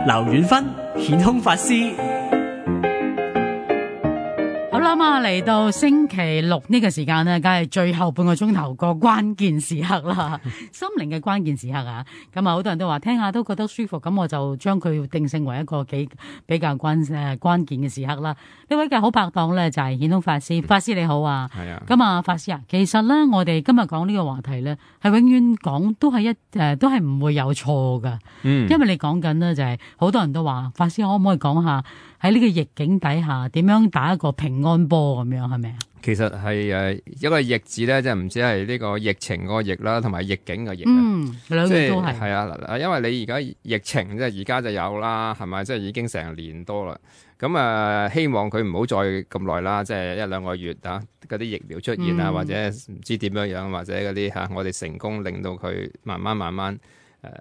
劉遠芬顯空法師。好啦嘛，嚟到星期六呢個時間呢，梗係最後半個鐘頭個關鍵時刻啦，心靈嘅關鍵時刻啊！咁啊，好多人都話聽下都覺得舒服，咁我就將佢定性為一個比較關鍵嘅時刻啦。呢位嘅好拍檔咧就係顯空法師，法師你好啊！係啊，咁啊，法師啊，其實咧我哋今日講呢個話題咧，係永遠講都係都係唔會有錯噶。因為你講緊呢，就係好多人都話，法師可唔可以講下喺呢個逆境底下點樣打一個平安波咁樣，係咪啊？其實係一個逆字咧，即係唔止係呢個疫情個逆啦，同埋逆境個逆啊。兩個都係。係啊，因為你而家疫情即係而家就有啦，係咪？即係已經成年多啦。咁希望佢唔好再咁耐啦，即係1-2個月啊，嗰啲疫苗出現啊，或者唔知點樣，或者嗰啲我哋成功令到佢慢慢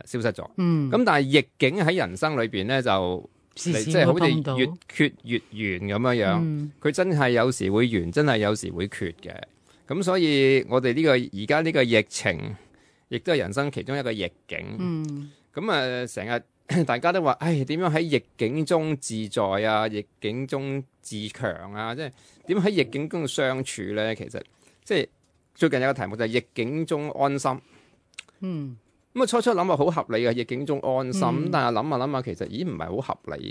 消失咗。咁但係逆境喺人生裏邊咧就。即係好似越缺越圓咁樣，佢真係有時會圓，真係有時會缺嘅。咁所以我哋而家呢個疫情，亦都係人生其中一個逆境。咁成日大家都話，點樣喺逆境中自在啊？逆境中自強啊？即係點喺逆境中相處咧？其實即係最近有個題目就係逆境中安心。咁初諗啊好合理嘅逆境中安心，但係諗下其實唔係好合理。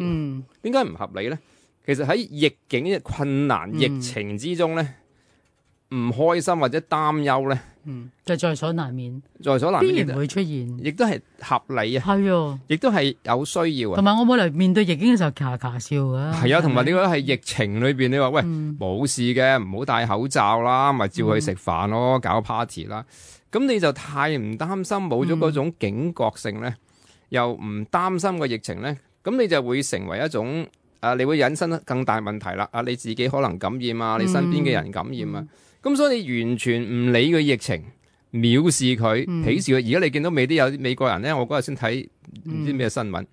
點解唔合理咧？其實喺逆境嘅困難、疫情之中咧，唔開心或者擔憂咧，就在所難免，必然會出現，亦都係合理啊。係，亦都係有需要啊。同埋我冇嚟面對逆境嘅時候，卡笑噶。係啊，同埋你覺得係疫情裏邊，你話喂冇事嘅，唔好戴口罩啦，咪照去食飯咯，搞 party 啦。咁你就太唔擔心，冇咗嗰種警覺性咧，又唔擔心個疫情咧，咁你就會成為一種你會引申更大問題啦。你自己可能感染啊，你身邊嘅人感染啊，咁所以你完全唔理個疫情，藐視佢，鄙視佢。而家你見到未必有啲美國人咧，我嗰日先睇唔知咩新聞，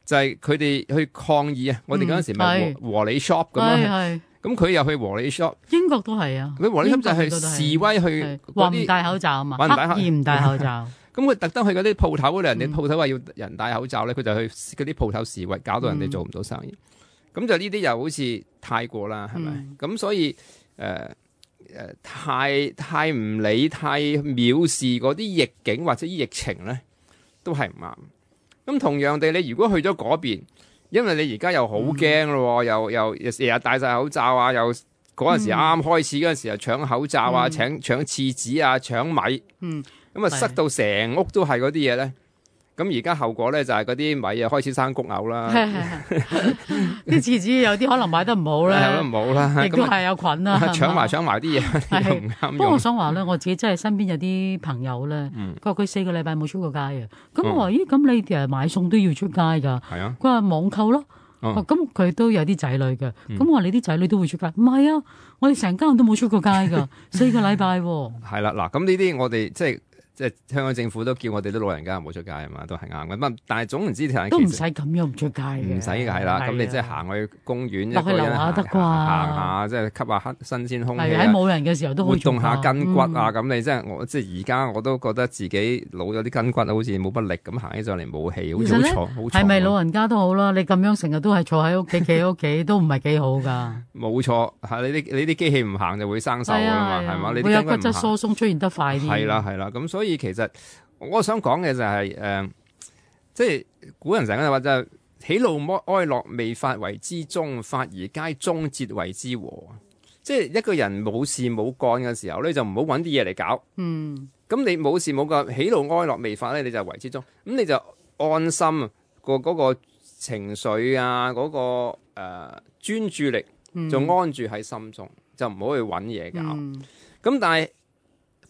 就係佢哋去抗議啊。我哋嗰陣時咪和理 shop 咁樣。咁佢又去和理 shop，英國都係啊。佢和理 shop 就係示威去話唔戴口罩啊嘛，刻意唔戴口罩。咁佢特登去嗰啲鋪頭嗰度，人哋鋪頭話要人戴口罩咧，佢就去嗰啲鋪頭示威，搞到人哋做唔到生意。咁就呢啲又好似太過啦，係咪？咁所以太唔理、太藐視嗰啲逆境或者疫情咧，都係唔啱。咁同樣地，你如果去咗嗰邊。因為你而家又好驚咯，又日日戴晒口罩啊，又嗰陣時啱開始嗰陣時又搶口罩啊，搶廁紙啊，搶米，咁塞到成屋都係嗰啲嘢咧。咁而家後果咧就係嗰啲米啊開始生谷牛啦，啲廁紙有啲可能買得唔好咧，唔好啦，亦都係有菌啦，搶埋啲嘢唔啱用。不過我想話咧，我自己真係身邊有啲朋友咧，佢話佢4個禮拜冇出過街啊。咁我話咦，咁你哋買餸都要出街㗎？係啊，佢話網購咯。咁佢都有啲仔女嘅，咁我話你啲仔女都會出街？唔係啊，我哋成家人都冇出過街㗎，4個禮拜。係啦，嗱，咁呢啲我哋即係香港政府都叫我哋啲老人家唔好出街啊嘛，都係啱嘅。但係總唔知都唔使咁樣唔出街嘅，唔使嘅係啦。咁你即係行去公園，落去樓下得啩，行下即係吸下新鮮空氣。喺冇人嘅時候都好活動下筋骨啊！咁你即係而家我都覺得自己老咗啲筋骨，好似冇乜力咁行起上嚟冇氣，好似好坐。係咪老人家都好啦？你咁樣成日都係坐喺屋企，企喺屋企都唔係幾好㗎。冇錯，係你啲機器唔行就會生鏽㗎嘛，係嘛？你會有骨質疏鬆出現得快啲。係啦，咁所以其實我想講嘅就係即係古人成日話就係喜怒哀樂未發為之中，發而皆終節為之和。即係一個人冇事冇幹嘅時候咧，就唔好揾啲嘢嚟搞。咁你冇事冇幹，喜怒哀樂未發咧，你就為之中。咁你就安心嗰個情緒啊，嗰個專注力就安住喺心中，就唔好去揾嘢搞。咁但係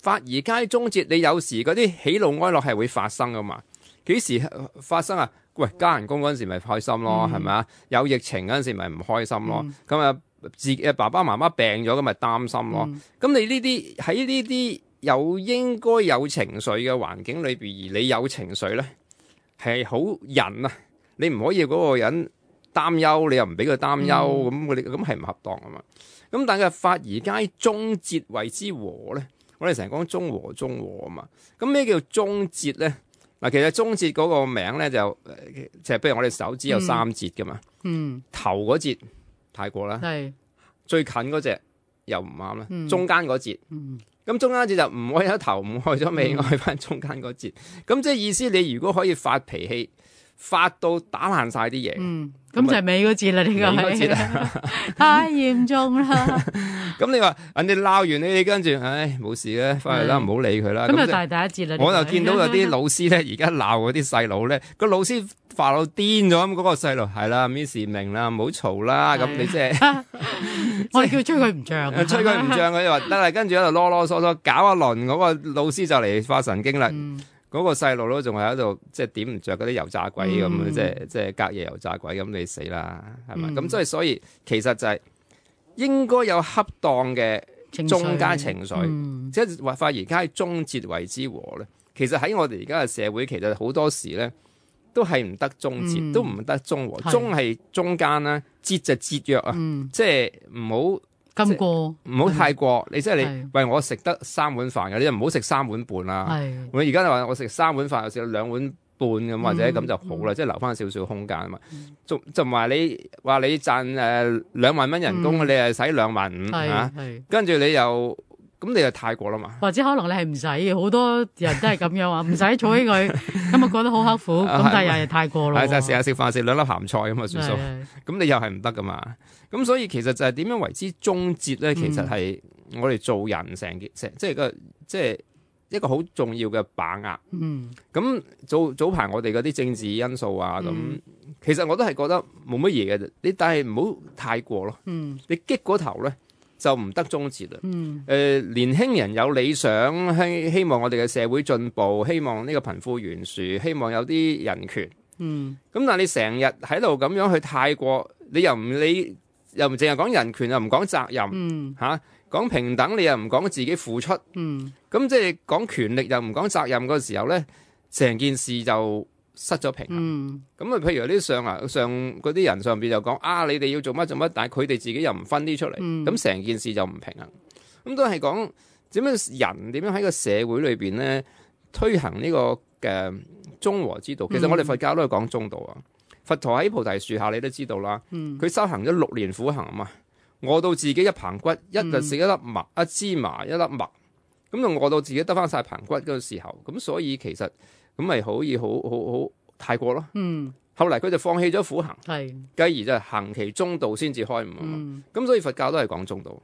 發而皆終節，你有時嗰啲喜怒哀樂係會發生噶嘛？幾時發生啊？喂，加人工嗰陣時咪開心咯，係咪啊？有疫情嗰陣時咪唔開心咯。咁自己爸爸媽媽病咗，咁咪擔心咯。咁你呢啲喺呢啲有應該有情緒嘅環境裏邊，而你有情緒咧，係好人啊！你唔可以嗰個人擔憂，你又唔俾佢擔憂，咁係唔恰當啊嘛。咁但係發而皆終節為之和咧，我哋成日講中和啊嘛。咁咩叫終節咧？嗱，其實中節嗰個名咧就譬如我哋手指有3節噶嘛，頭嗰節太過啦，最近嗰隻又唔啱啦，中間嗰節，咁中間節就唔愛咗頭，唔愛咗尾，愛翻中間嗰節，咁即係意思你如果可以發脾氣，發到打爛晒啲嘢，咁就係尾嗰節啦，呢個係太嚴重啦。咁你話人哋鬧完你跟住，唉冇事嘅，翻去啦，唔好理佢啦。咁就大第一節啦。我就見到有啲老師咧，而家鬧嗰啲細佬咧，個老師發到癲咗咁，嗰個細路係啦 ，Miss 明啦，唔好嘈啦，咁你即係我叫吹佢唔脹，吹佢唔脹，佢就話得啦，跟住喺度囉囉嗦嗦搞一輪，嗰個老師就嚟發神經啦。嗰個細路都仲係喺度，即係點唔着嗰啲油炸鬼咁，即係隔夜油炸鬼咁，你死啦，係咪？咁所以其實就係應該有恰當嘅中間情緒，即係發而家中節為之和咧。其實喺我哋而家嘅社會，其實好多時咧都係唔得中節，都唔得中和。中係中間啦，節就節約啊，即係唔好。咁過唔好太過，你即係你喂我食得3碗飯嘅，你就唔好食3碗半啦。我而家就話我食3碗飯，我食2碗半咁或者咁就好啦，即係留翻少少空間啊嘛。就唔係你話你賺2萬蚊人工，你係使2萬5嚇，跟住你又咁你就太過啦嘛。或者可能你係唔使，好多人都係咁樣話，唔使儲起佢，咁啊覺得好刻苦，咁但係又係太過咯。係就成日食飯食2粒鹹菜咁啊算數，咁你又係唔得噶嘛。咁所以其實就係點樣為之中節咧？其實係我哋做人成即係一個好重要嘅把握。咁早排我哋嗰啲政治因素啊，咁其實我都係覺得冇乜嘢嘅啫。你但係唔好太過咯。你激嗰頭咧就唔得中節啦。年輕人有理想，希望我哋嘅社會進步，希望呢個貧富懸殊，希望有啲人權。咁但係你成日喺度咁樣去太過，你又唔理。又唔淨係講人權，又唔講責任，講平等，你又唔講自己付出，咁即係講權力又唔講責任嗰時候咧，成件事就失咗平衡。咁譬如有啲上嗰啲人上邊就講你哋要做乜做乜，但係佢哋自己又唔分啲出嚟，咁成件事就唔平衡。咁都係講點樣人點樣喺個社會裏邊咧推行呢個嘅中和之道。其實我哋佛教都係講中道啊。佛陀喺菩提樹下，你都知道啦。佢修行咗6年苦行啊嘛，餓到自己一棚骨，一就食一粒麥，一芝麻一粒麥，咁就餓到自己得翻晒棚骨嗰個時候，咁所以其實咁咪可以好太過咯。後嚟佢就放棄咗苦行，繼而就行其中道先至開悟啊嘛。咁所以佛教都係講中道，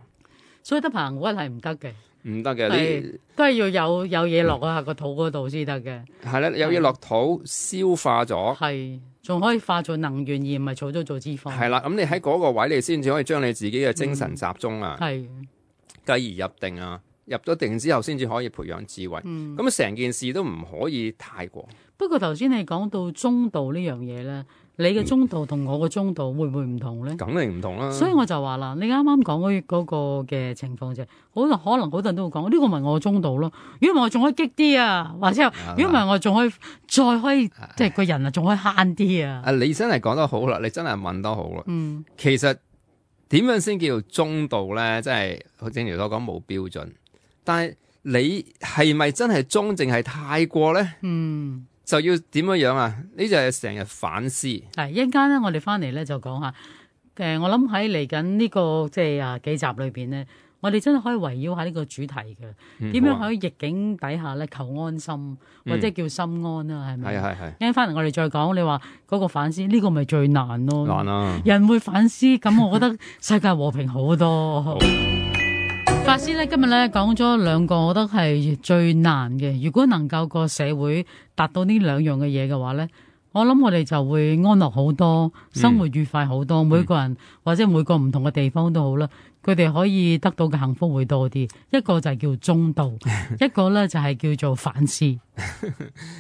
所以得棚骨係唔得嘅。唔得嘅，你都係要有嘢落啊個肚嗰度先得嘅。係啦，有嘢落肚消化咗，係仲可以化做能源，而唔係儲咗做脂肪。係啦，咁你喺嗰個位，你先至可以將你自己嘅精神集中啊，繼而入定啊，入咗定之後，先至可以培養智慧。咁成件事都唔可以太過。不過頭先你講到中道呢樣嘢咧。你嘅中道同我嘅中道會唔會唔同咧？梗係唔同啦。所以我就話啦，你啱啱講嗰個嘅情況啫，可能好多人都會講，呢個咪我中道咯。如果唔係我仲可以激啲啊，或者如果唔係我仲可以再可以即係個人啊，仲可以慳啲啊。你真係講得好啦，你真係問得好啦。其實點樣先叫中道咧？即係正如所講冇標準，但係你係咪真係中定係太過咧？就要點樣啊？呢就係成日反思。係一陣間咧，我哋翻嚟咧就講下。我諗喺嚟緊呢個即係幾集裏邊咧，我哋真係可以圍繞下呢個主題嘅。點樣喺逆境底下咧求安心，或者叫心安啦？係咪？係。一陣翻嚟我哋再講。你話嗰個反思呢個咪最難咯？難啊！人會反思，咁我覺得世界和平好多。法師咧今日咧講咗2個，我覺得係最難嘅。如果能夠個社會達到呢2樣嘅嘢嘅話咧，我諗我哋就會安樂好多，生活愉快好多。每個人或者每個唔同嘅地方都好啦，佢哋可以得到嘅幸福會多啲。一個就係叫中道，一個咧就係叫做反思。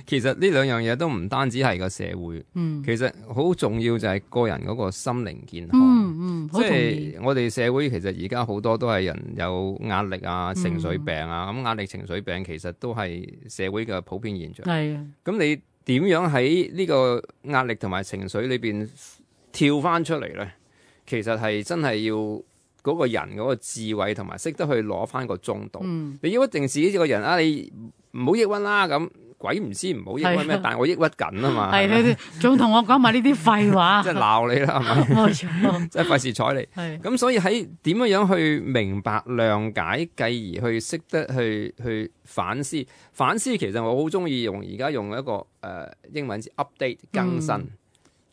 其實呢2樣嘢都唔單止係個社會，其實好重要就係個人嗰個心靈健康。即係我哋社會其實而家好多都係人有壓力啊、情緒病啊，咁壓力、情緒病其實都係社會嘅普遍現象。咁你點樣喺呢個壓力同埋情緒裏邊跳翻出嚟咧？其實係真係要嗰個人嗰個智慧同埋識得去攞翻個中道。你要一定自己個人你唔好抑鬱啦咁，鬼唔知唔好抑鬱咩？係啊但係我抑鬱緊啊嘛。係你哋仲同我講埋呢啲廢話，即係鬧你啦，係咪？冇錯，即係費事睬你。係咁所以喺點樣去明白、諒解，繼而去識得去反思。反思其實我好中意而家用一個英文字 update 更新。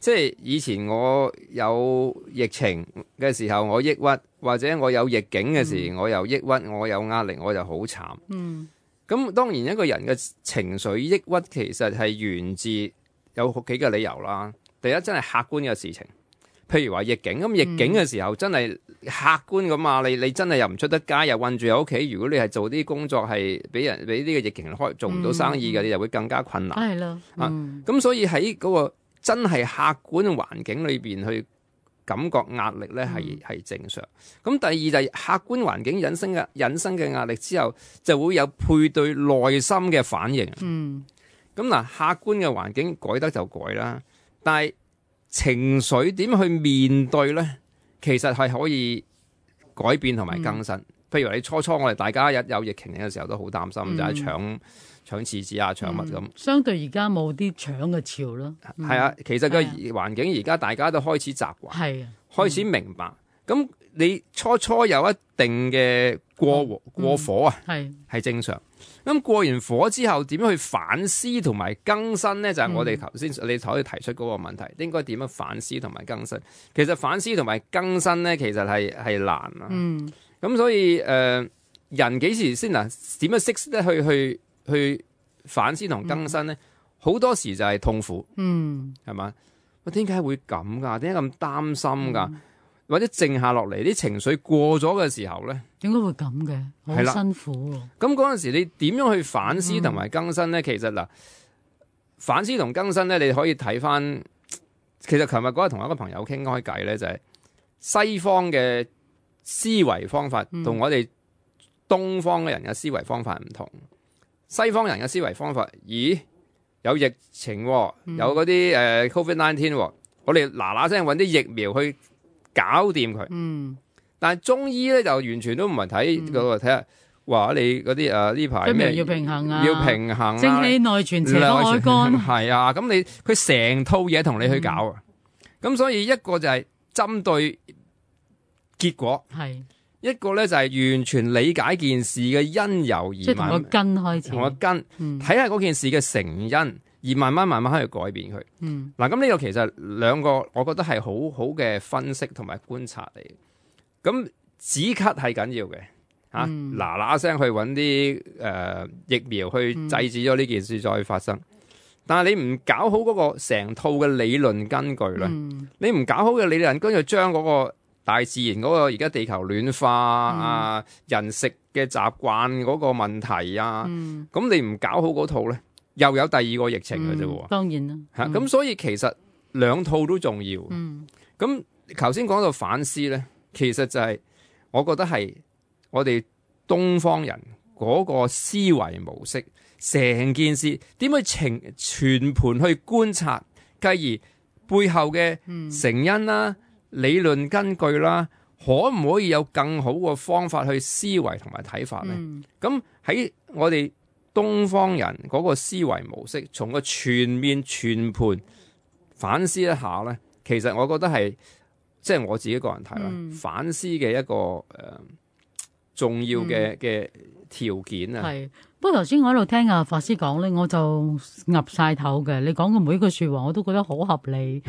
即係以前我有疫情嘅時候我抑鬱，或者我有逆境嘅時我又抑鬱，我有壓力我就好慘。咁當然一個人嘅情緒抑鬱其實係源自有幾個理由啦。第一真係客觀嘅事情，譬如話逆境。咁逆境嘅時候真係客觀咁啊！你真係又唔出得街，又韞住喺屋企。如果你係做啲工作係俾呢個疫情開做唔到生意嘅，你就會更加困難。係咯，咁所以喺嗰個真係客觀嘅環境裏邊去感覺壓力咧係正常。咁第二就係客觀環境引生嘅壓力之後，就會有配對內心嘅反應。咁嗱，客觀嘅環境改得就改啦，但係情緒點去面對咧，其實係可以改變同埋更新。譬如話你初我哋大家有疫情嘅時候都好擔心，就係搶廁紙啊，搶乜咁。相對而家冇啲搶嘅潮咯。係啊，其實個環境而家大家都開始習慣，係開始明白。咁你初有一定嘅過火啊，係正常。咁過完火之後，點樣去反思同埋更新咧？就係我哋頭先你可以提出嗰個問題，應該點樣反思同埋更新？其實反思同埋更新咧，其實係難啊。咁所以人幾時先點樣識得去反思同更新咧？好多時就係痛苦，係嘛？我點解會咁噶？點解咁擔心噶？或者靜下落嚟，啲情緒過咗嘅時候咧，點解會咁嘅？好辛苦喎。咁嗰陣時，你點樣去反思同埋更新咧？其實嗱，反思同更新咧，你可以睇翻。其實琴日嗰日同一個朋友傾開偈咧，就係西方嘅思維方法同我哋東方嘅人嘅思維方法唔同。西方人嘅思維方法，咦？有疫情，有嗰啲COVID-19，我哋嗱聲揾啲疫苗去搞掂佢。但係中醫咧就完全都唔係睇嗰個，睇下話你嗰啲呢排咩要平衡啊，要平衡啊，正氣內存，邪不外乾。係啊，咁佢成套嘢同你去搞啊。咁所以一個就係針對結果，一個咧就係完全理解件事嘅因由而，即係同個根開始，同個根睇下嗰件事嘅成因，而慢慢去改變佢。嗱，咁呢個其實兩個，我覺得係好好嘅分析同埋觀察嚟。咁止咳係緊要嘅嚇，嗱聲去揾啲疫苗去制止咗呢件事再發生。但係你唔搞好嗰個成套嘅理論根據咧，你唔搞好嘅理論根據，將嗰個大自然嗰個而家地球暖化啊，人食嘅習慣嗰個問題啊，咁你唔搞好嗰套咧，又有第二個疫情嘅啫喎。當然啦，咁所以其實兩套都重要。咁頭先講到反思咧，其實就係我覺得係我哋東方人嗰個思維模式，成件事點去全盤去觀察，繼而背後嘅成因啦、理論根據啦，可唔可以有更好嘅方法去思維同埋睇法咧？咁喺我哋東方人嗰個思維模式，從個全面全盤反思一下咧，其實我覺得係即係我自己個人睇啦，反思嘅一個重要嘅條件啊。係，不過頭先我喺度聽阿法師講咧，我就岌晒頭嘅。你講嘅每一句說話，我都覺得好合理。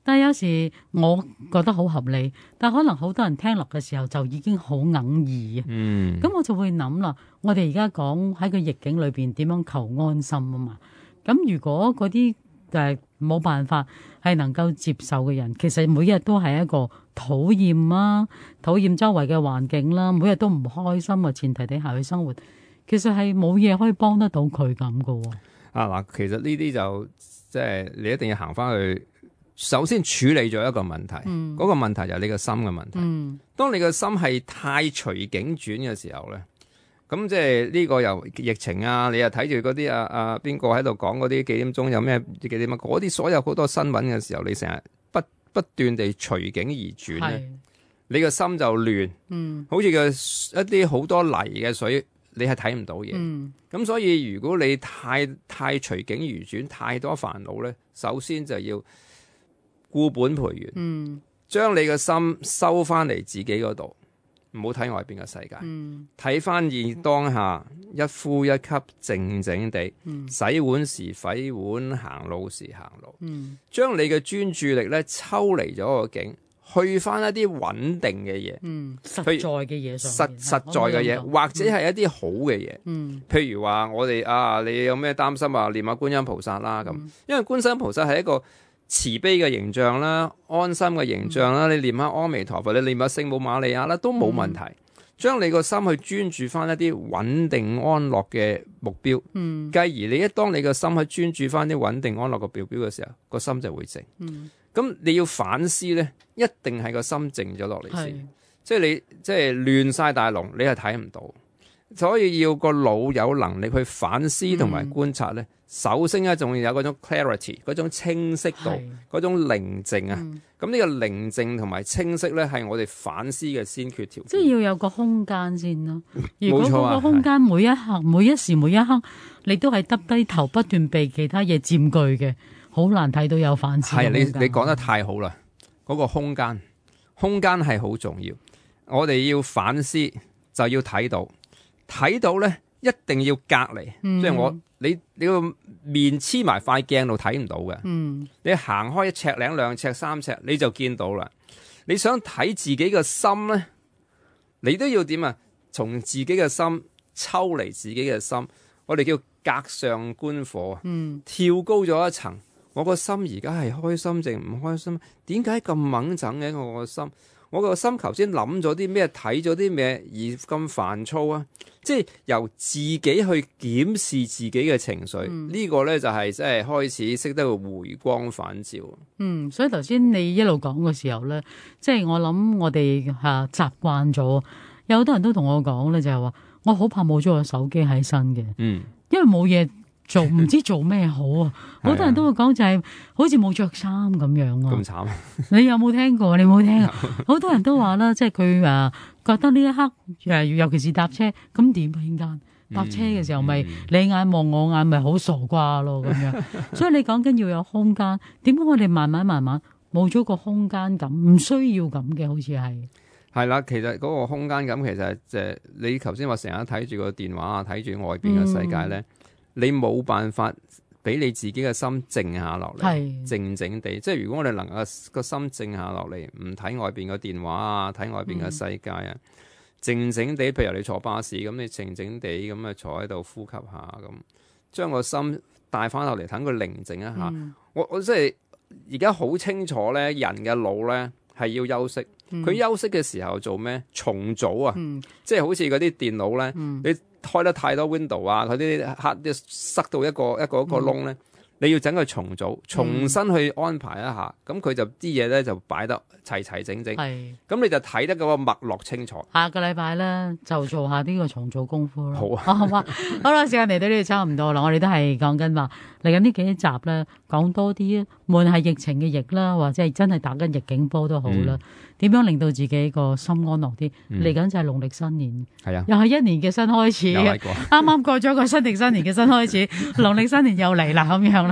但係有時我覺得好合理，但可能好多人聽落嘅時候就已經好哽耳啊。咁我就會諗啦，我哋而家講喺個逆境裏邊點樣求安心啊嘛。咁如果嗰啲冇辦法係能夠接受嘅人，其實每日都係一個討厭啊，討厭周圍嘅環境啦，每日都唔開心嘅前提底下去生活，其實係冇嘢可以幫得到佢咁噶。嗱，其實呢啲就即係你一定要行翻去，首先處理咗一個問題，嗰個問題就係你個心嘅問題。當你個心係太隨境轉嘅時候咧，咁即係呢個又疫情啊，你又睇住嗰啲邊個喺度講嗰啲幾點鐘有咩幾點啊，嗰啲所有好多新聞嘅時候，你成日不斷地隨境而轉咧，你個心就亂，好似一啲好多泥嘅水你係睇唔到嘢。咁所以如果你太隨境而轉，太多煩惱咧，首先就要固本培元，將你嘅心收翻嚟自己嗰度，唔好睇外邊嘅世界，睇翻現當下，一呼一吸，靜靜地，洗碗時洗碗，行路時行路，將你嘅專注力咧抽離咗個境，去翻一啲穩定嘅嘢，實在嘅嘢上面，實在嘅嘢，或者係一啲好嘅嘢，譬如話我哋你有咩擔心啊？念下觀音菩薩啦咁，因為觀世音菩薩係一個慈悲嘅形象啦，安心嘅形象啦，你念下阿彌陀佛，你念下聖母瑪利亞啦，都冇問題。將你個心去專注翻一啲穩定安樂嘅目標，繼而你當你個心去專注翻啲穩定安樂嘅目標嘅時候，個心就會靜。咁你要反思呢，一定係個心靜咗落嚟先。即係你即係亂晒大龍，你係睇唔到。所以要個腦有能力去反思同埋觀察呢。首先咧，仲要有嗰種 clarity， 嗰種清晰度，嗰種寧靜啊。咁呢個寧靜同埋清晰咧，係我哋反思嘅先決條件。即係要有個空間先咯。如果嗰個空間每一刻、每一時、每一刻，你都係耷低頭不斷被其他嘢佔據嘅，好難睇到有反思。係你講得太好啦！嗰個空間係好重要。我哋要反思就要睇到咧，一定要隔離。即係你個面黐埋塊鏡度睇唔到嘅，你行開1尺零2尺3尺你就見到啦。你想睇自己嘅心咧，你都要點啊？從自己嘅心抽離自己嘅心，我哋叫隔上觀火，跳高咗一層。我個心而家係開心定唔開心？點解咁猛整嘅我個心？我個心頭先諗咗啲咩，睇咗啲咩而咁煩躁啊？即係由自己去檢視自己嘅情緒，呢個咧就係即係開始識得個回光返照。所以頭先你一路講嘅時候咧，即係我諗我哋習慣咗，有好多人都同我講咧，就係話我好怕冇咗個手機喺身嘅，因為冇嘢做，唔知做咩好啊！好多人都會講就係好似冇着衫咁樣啊！咁慘，你有冇聽過？你冇聽啊？好多人都話啦，即係佢覺得呢一刻尤其是搭車，咁點啊？應間搭車嘅時候咪你眼望我眼，咪好傻瓜咯咁樣。所以你講緊要有空間，點解我哋慢慢冇咗個空間感？唔需要咁嘅，好似係啦。其實嗰個空間感其實即係你頭先話成日睇住個電話啊，睇住外邊嘅世界咧。你冇辦法俾你自己嘅心靜下落嚟，靜靜地。即係如果我哋能夠個心靜下落嚟，唔睇外邊嘅電話啊，睇外邊嘅世界啊，靜靜地。譬如你坐巴士咁，你靜靜地咁啊坐喺度呼吸下咁，將個心帶翻落嚟，等佢寧靜一下。我即係而家好清楚咧，人嘅腦咧係要休息。佢休息嘅時候做咩？重組啊！即係好似嗰啲電腦咧，你開得太多 window 啊，嗰啲黑啲塞到一個窿咧，你要整佢重組，重新去安排一下，咁佢就啲嘢咧就擺得齊齊整整，咁你就睇得嗰個脈絡清楚。下個禮拜咧就做下呢個重組功夫咯。好啊，好嘛，好啦，時間嚟到呢度差唔多啦，我哋都係講緊話嚟緊呢幾集咧，講多啲，無論係疫情嘅疫啦，或者係真係打緊逆境波都好啦。點樣令到自己個心安樂啲？嚟緊就係農曆新年，又係一年嘅新開始，啱啱過咗個新曆新年嘅新開始，農曆新年又嚟啦咁樣